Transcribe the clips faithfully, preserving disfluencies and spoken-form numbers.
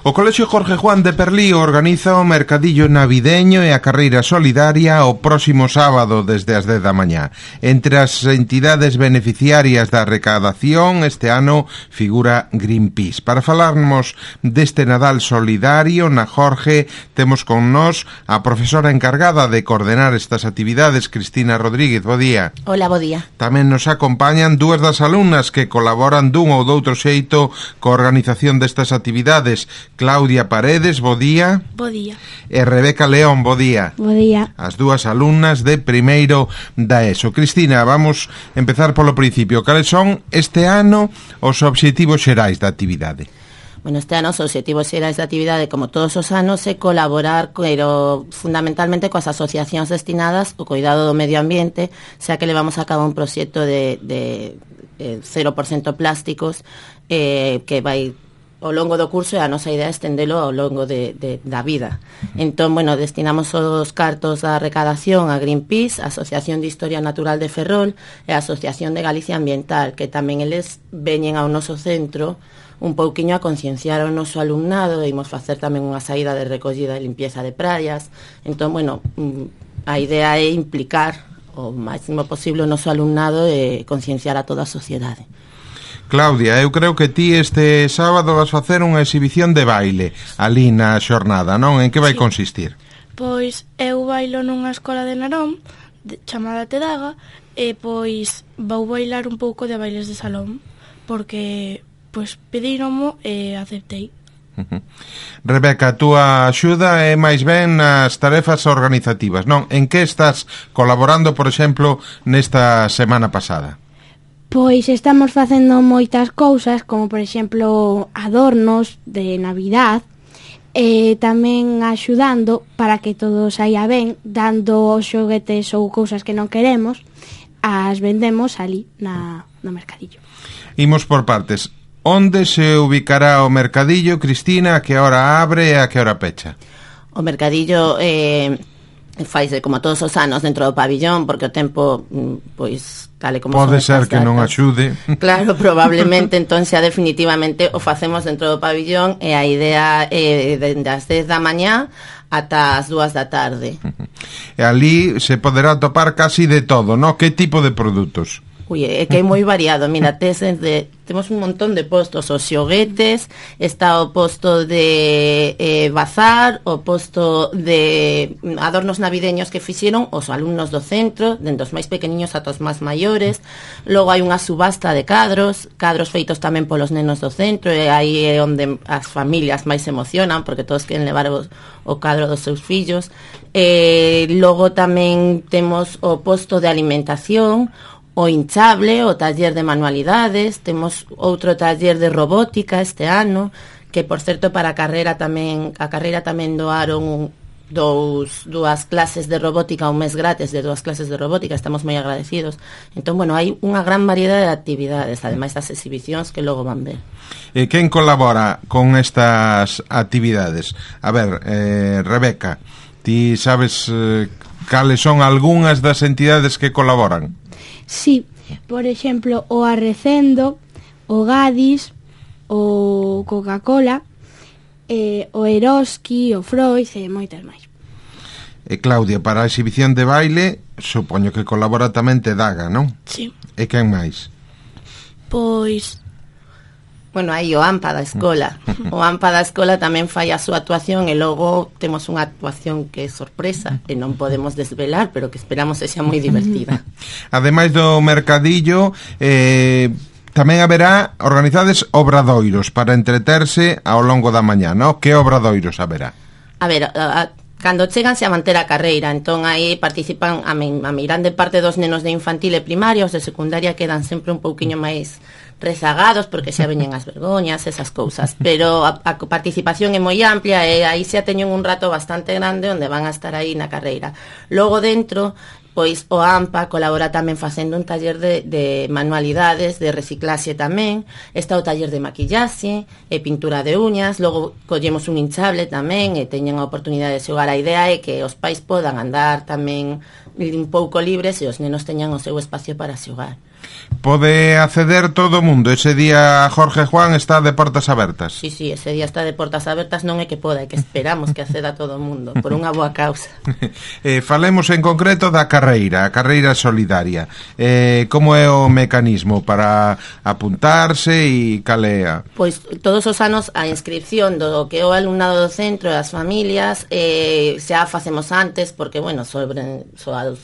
O Colexio Jorge Juan de Perlío organiza o mercadillo navideño e a carreira solidaria o próximo sábado desde as dez da mañá. Entre as entidades beneficiarias da recadación este ano figura Greenpeace. Para falarmos deste Nadal solidario na Jorge temos con nós a profesora encargada de coordenar estas actividades, Cristina Rodríguez. Bo día. Hola, bo día. Tamén nos acompañan dúas das alumnas que colaboran dun ou doutro xeito coa organización destas actividades. Claudia Paredes, bo día. Bo día. E Rebeca León, bo día. Bo día. As dúas alumnas de primeiro da ESO. Cristina, vamos empezar polo principio. Cales son este ano os obxectivos xerais da actividade? Bueno, este ano os obxectivos xerais da actividade, como todos os anos, é colaborar, pero fundamentalmente coas asociacións destinadas ao cuidado do medio ambiente, xa que levamos a cabo un proxecto de, de, de cero por cento plásticos eh, que vai ao longo do curso, e a nosa idea é estendelo ao longo de, de, da vida. Entón, bueno, destinamos os cartos da recadación a Greenpeace, a Asociación de Historia Natural de Ferrol e a Asociación de Galicia Ambiental, que tamén eles veñen ao noso centro un pouquiño a concienciar ao noso alumnado, e imos facer tamén unha saída de recollida e limpieza de praias. Entón, bueno, a idea é implicar o máximo posible o noso alumnado e concienciar a toda a sociedade. Claudia, eu creo que ti este sábado vas facer unha exhibición de baile ali na xornada, non? En que vai sí. consistir? Pois eu bailo nunha escola de Narón de, chamada Tedaga, e pois vou bailar un pouco de bailes de salón, porque pois pedíromo e aceptei. Uh-huh. Rebeca, a túa axuda é máis ben nas tarefas organizativas, non? En que estás colaborando, por exemplo, nesta semana pasada? Pois estamos facendo moitas cousas, como por exemplo adornos de Navidad, e tamén axudando para que todo saia ben, dando xoguetes ou cousas que non queremos, as vendemos ali na, no mercadillo. Imos por partes. Onde se ubicará o mercadillo, Cristina? A que hora abre e a que hora pecha? O mercadillo eh, faise como todos os anos dentro do pabillón, porque o tempo, pois, tal e como pode ser que non axude. Claro, probablemente, entón xa definitivamente o facemos dentro do pabillón, e a idea é dende as dez da mañá ata as dúas da tarde. E ali se poderá topar casi de todo, non? Que tipo de produtos? Ui, é que é moi variado. Mira, tes de, temos un montón de postos. Os xoguetes, está o posto de eh, bazar, o posto de adornos navideños que fixeron os alumnos do centro, dende os máis pequeniños ata os máis maiores. Logo hai unha subasta de cadros, cadros feitos tamén polos nenos do centro, e aí é onde as familias máis se emocionan, porque todos queren levar o, o cadro dos seus fillos. Eh, logo tamén temos o posto de alimentación, o hinchable, o taller de manualidades, temos outro taller de robótica este ano, que por certo para a carreira tamén, a carreira tamén doaron dous, dúas clases de robótica, un mes gratis de dúas clases de robótica, estamos moi agradecidos. Entón, bueno, hai unha gran variedade de actividades, ademais das exhibicións que logo van ver. E quen colabora con estas actividades? A ver, eh, Rebeca, ti sabes eh, cales son algunhas das entidades que colaboran? Sí, por exemplo, o Arrecendo, o Gadis, o Coca-Cola, eh, o Eroski, o Freud e moitas máis. E Claudia, para a exhibición de baile, supoño que colabora tamén Tedaga, non? Sí. E quen máis? Pois... Bueno, aí o AMPA da escola. O AMPA da escola tamén fai a súa actuación, e logo temos unha actuación que é sorpresa e non podemos desvelar, pero que esperamos que sea moi divertida. Ademais do mercadillo, eh, tamén haberá organizades obradoiros para entreterse ao longo da mañá, non? Que obradoiros haberá? A ver, a, a, cando cheganse a manter a carreira, entón aí participan a, a grande parte dos nenos de infantil e primaria, os de secundaria quedan sempre un pouquiño máis rezagados porque xa veñen as vergoñas, esas cousas, pero a, a participación é moi amplia, e aí xa teñen un rato bastante grande onde van a estar aí na carreira. Logo dentro, pois o AMPA colabora tamén facendo un taller de, de manualidades, de reciclaxe tamén, está o taller de maquillaxe e pintura de uñas, logo collemos un hinchable tamén e teñen a oportunidade de xogar. A idea é que os pais podan andar tamén un pouco libres e os nenos teñan o seu espacio para xogar. Pode acceder todo o mundo. Ese día Jorge Juan está de portas abertas. Sí, sí, ese día está de portas abertas, non é que poda, é que esperamos que acceda todo o mundo, por unha boa causa. eh, falemos en concreto da carreira, a carreira solidaria. Eh, como é o mecanismo para apuntarse e calea? Pois todos os anos a inscripción do que é o alumnado do centro e as familias eh, xa facemos antes, porque, bueno, sobre... sobre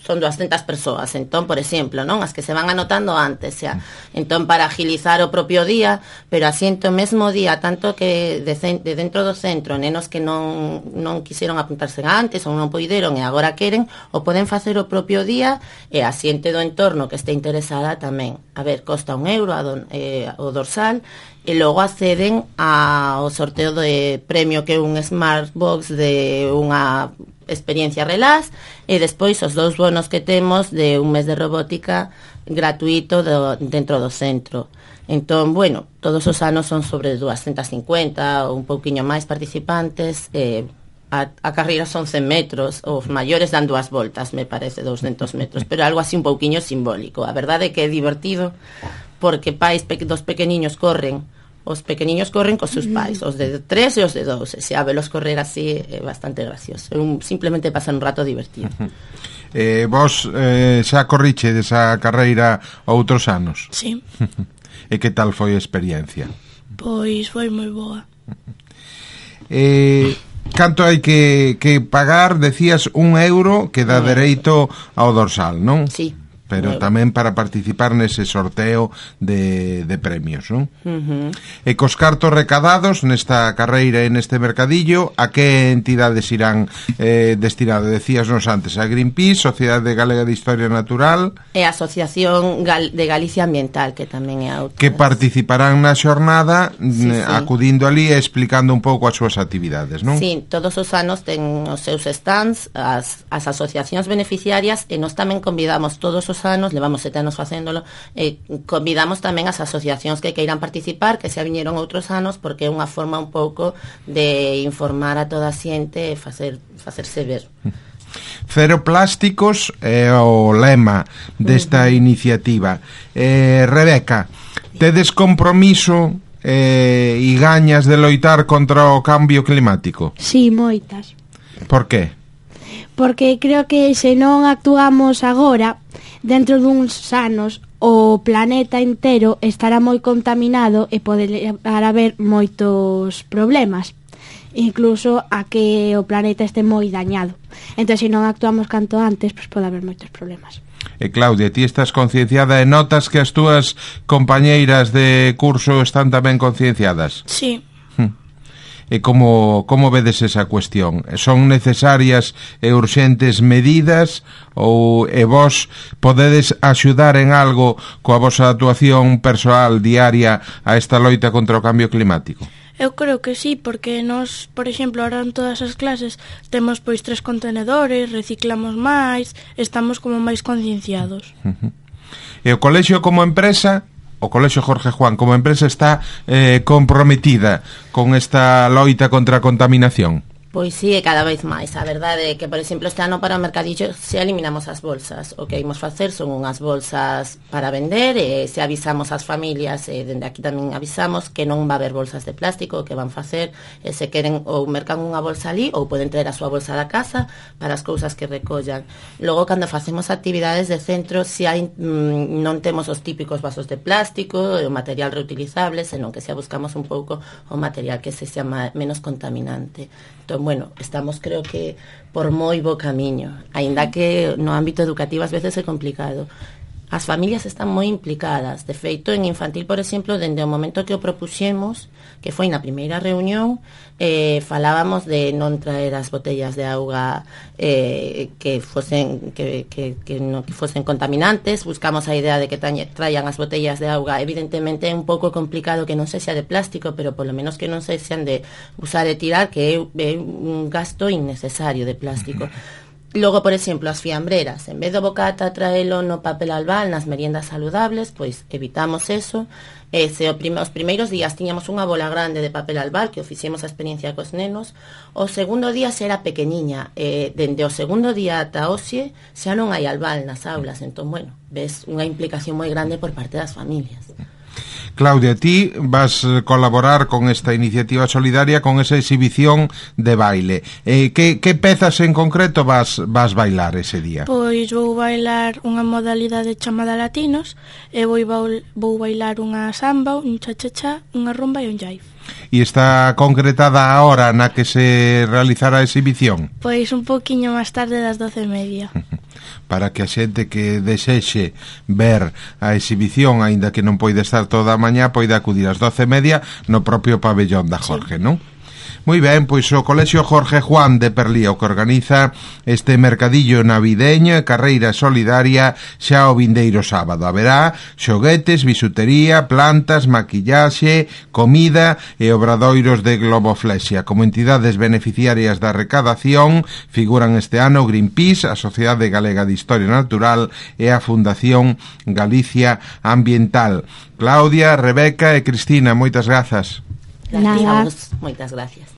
son doscientas persoas, entón, por exemplo, non, as que se van anotando antes, xa. Entón, para agilizar o propio día, pero asiento o mesmo día, tanto que de, de dentro do centro, nenos que non, non quixeron apuntarse antes ou non poideron e agora queren, o poden facer o propio día e a xente do entorno que este interesada tamén. A ver, costa un euro a don, eh, o dorsal, e logo acceden ao sorteo de premio que é un Smartbox de unha experiencia Relax e despois os dous bonos que temos de un mes de robótica gratuito do, dentro do centro. Entón, bueno, todos os anos son sobre doscientos cincuenta ou un pouquiño máis participantes. eh, a, a carreira son cen metros, os maiores dan dúas voltas, me parece, doscientos metros, pero algo así un pouquiño simbólico. A verdade é que é divertido porque pais pe- dos pequeniños corren. Os pequeniños corren cos seus pais, os de tres e os de dous, e se a velos correr así é bastante gracioso. É un, simplemente pasar un rato divertido. Eh, vos eh, xa corriche desa carreira outros anos? Sí. E que tal foi a experiencia? Pois foi moi boa. Eh, canto hai que, que pagar? Decías un euro que dá dereito ao dorsal, non? Sí. Pero tamén para participar nese sorteo de, de premios, non? Uh-huh. E cos cartos recadados nesta carreira e neste mercadillo, a que entidades irán eh, destinados? Decíasnos antes, a Greenpeace, Sociedade Galega de Historia Natural... E a Asociación Gal- de Galicia Ambiental, que tamén é outra. Que participarán na xornada Sí, sí. acudindo ali e explicando un pouco as súas actividades, non? Sí, todos os anos ten os seus stands, as, as asociacións beneficiarias, e nós tamén convidamos todos os anos, levamos sete anos facéndolo, e convidamos tamén as asociacións que queiran participar, que xa viñeron outros anos, porque é unha forma un pouco de informar a toda a xente e facer, facerse ver. Cero plásticos é o lema desta uh-huh. iniciativa. Eh, Rebeca, tedes compromiso eh, e gañas de loitar contra o cambio climático? Sí, moitas. Por qué? Porque creo que se non actuamos agora, dentro duns anos, o planeta inteiro estará moi contaminado e pode levar a haber moitos problemas, incluso a que o planeta este moi dañado. Entón, se non actuamos canto antes, pois pode haber moitos problemas. E Claudia, ti estás concienciada e notas que as túas compañeiras de curso están tamén concienciadas? Sí. E como, como vedes esa cuestión? Son necesarias e urxentes medidas ou e vos podedes axudar en algo coa vosa actuación persoal diaria a esta loita contra o cambio climático? Eu creo que sí, porque nós, por exemplo, ahora en todas as clases temos pois tres contenedores, reciclamos máis, estamos como máis concienciados. Uh-huh. E o colexio como empresa, o Colexio Jorge Juan como empresa está eh, comprometida con esta loita contra a contaminación? Pois sí, e cada vez máis. A verdade é que, por exemplo, este ano para o mercadillo se eliminamos as bolsas. O que imos facer son unhas bolsas para vender e se avisamos ás familias, e dende aquí tamén avisamos que non va a haber bolsas de plástico, que van facer, e se queren ou mercan unha bolsa ali ou poden traer a súa bolsa da casa para as cousas que recollan. Logo, cando facemos actividades de centro, se hai, mmm, non temos os típicos vasos de plástico, o material reutilizable, senón que se buscamos un pouco o material que se chama menos contaminante. Entón, bueno, estamos creo que por moi bo camiño, aínda que no ámbito educativo ás veces é complicado. As familias están moi implicadas. De feito, en infantil, por exemplo, dende o momento que o propuxemos, que foi na primeira reunión, eh, falábamos de non traer as botellas de auga eh, que fosen que, que, que, no, que fosen contaminantes. Buscamos a idea de que traian as botellas de auga. Evidentemente é un pouco complicado que non sexa de plástico, pero polo menos que non sexan de usar e tirar, que é, é un gasto innecesario de plástico. Logo, por exemplo, as fiambreras, en vez do bocata traelo no papel albal nas meriendas saludables, pois evitamos eso Ese, o prime, os primeiros días tiñamos unha bola grande de papel albal que o fixemos a experiencia cos nenos. O segundo día xa era pequeniña, e dende o segundo día ata hoxe xa non hai albal nas aulas, entón, bueno, ves unha implicación moi grande por parte das familias. Claudia, ti vas colaborar con esta iniciativa solidaria con esa exhibición de baile. Eh, que, que pezas en concreto vas, vas bailar ese día? Pois vou bailar unha modalidade chamada latinos e vou, vou bailar unha samba, un cha-cha-cha, unha rumba e un jive. E está concretada a hora na que se realizará a exhibición? Pois un poquinho máis tarde das doce e media. Para que a xente que desexe ver a exhibición, aínda que non poida estar toda a mañá, poida acudir ás doce e media no propio pabellón da Jorge, sí. Non? Moi ben, pois o Colexio Jorge Juan de Perlía o que organiza este mercadillo navideño e carreira solidaria xa o vindeiro sábado. Haberá xoguetes, bisutería, plantas, maquillaxe, comida e obradoiros de globoflexia. Como entidades beneficiarias da recadación figuran este ano Greenpeace, a Sociedade Galega de Historia Natural e a Fundación Galicia Ambiental. Claudia, Rebeca e Cristina, moitas grazas. Gracias. Moitas gracias.